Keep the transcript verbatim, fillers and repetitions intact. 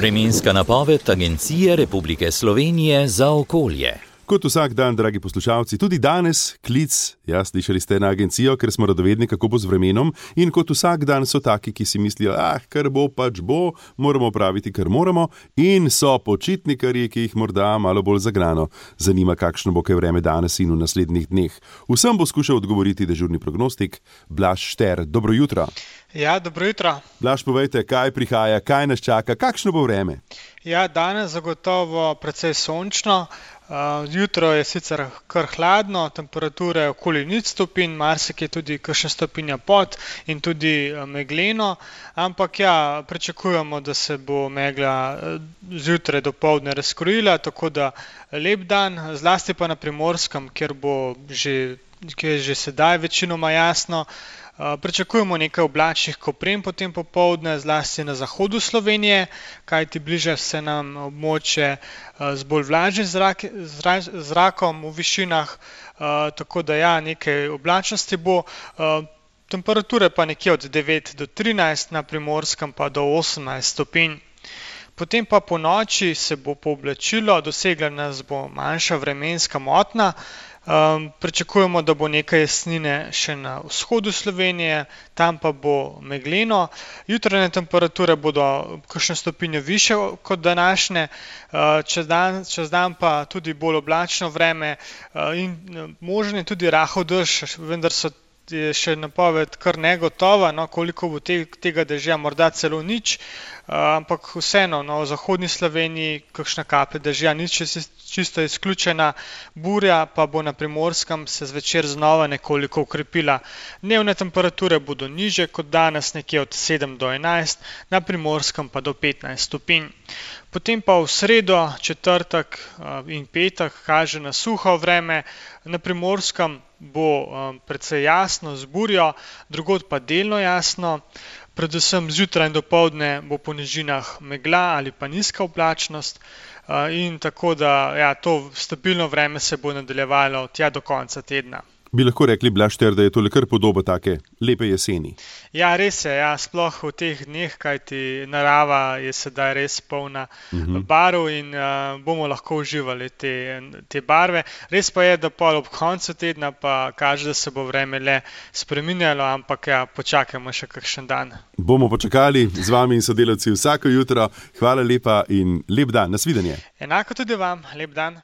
Vremenska napoved Agencije Republike Slovenije za okolje. Kot vsak dan, dragi poslušalci, tudi danes klic, ja, slišali ste na agencijo, ker smo radovedni, kako bo z vremenom, in kot vsak dan so taki, ki si mislijo, ah, kar bo, pač bo, moramo praviti, kar moramo, in so počitnikarji, ki jih morda malo bolj zagnano zanima, kakšno bo kaj vreme danes in v naslednjih dneh. Vsem bo skušal odgovoriti dežurni prognostik Blaž Šter. Dobro jutro. Ja, dobro jutro. Blaž, povejte, kaj prihaja, kaj nas čaka, kakšno bo vreme? Ja, danes zagotovo precej sončno. Uh, jutro je sicer kar hladno, temperature okoli nič stopinj, marsikje tudi kakšna stopinja pod in tudi uh, megleno, ampak ja, pričakujemo, da se bo megla uh, zjutraj dopoldne razkrojila, tako da lep dan, zlasti pa na Primorskem, kjer bo že, kjer je že sedaj večinoma jasno. Uh, pričakujemo nekaj oblačnih koprem potem popoldne, zlasti na zahodu Slovenije, kajti bliža se nam območje uh, z bolj vlažnim zrak, zra, zrakom v višinah, uh, tako da ja, nekaj oblačnosti bo, uh, temperature pa nekje od devet do trinajst, na Primorskem pa do osemnajst stopinj. Potem pa po noči se bo pooblačilo, dosegla nas bo manjša vremenska motnja. Um, pričakujemo, da bo nekaj jesnine še na vzhodu Slovenije, tam pa bo megleno. Jutranje temperature bodo kakšno stopinjo više kot današnje, uh, čez dan, čez dan pa tudi bolj oblačno vreme uh, in možen je tudi rahel dež, vendar so je še napoved kar negotova, no, koliko bo te, tega dežja, morda celo nič, uh, ampak vseeno, no, v zahodni Sloveniji kakšna kaplja dežja, nič je čisto izključena, burja pa bo na Primorskem se zvečer znova nekoliko ukrepila. Dnevne temperature bodo nižje kot danes, nekje od sedem do enajst, na Primorskem pa do petnajst stopinj. Potem pa v sredo, četrtek in petek kaže na suho vreme, na Primorskem bo um, precej jasno z burjo, drugod pa delno jasno, predvsem zjutraj in dopoldne bo po nižinah megla ali pa nizka oblačnost uh, in tako da ja, to stabilno vreme se bo nadaljevalo tja do konca tedna. Bi lahko rekli, Blaž Šter, da je to le kar podoba take lepe jeseni? Ja, res je, ja, sploh v teh dneh, kajti narava je sedaj res polna uh-huh. barv in uh, bomo lahko uživali te, te barve. Res pa je, da pol ob koncu tedna pa kaže, da se bo vreme le spreminjalo, ampak ja, počakajmo še kakšen dan. Bomo počakali z vami in sodelavci vsako jutro. Hvala lepa in lep dan. Nasvidenje. Enako tudi vam, lep dan.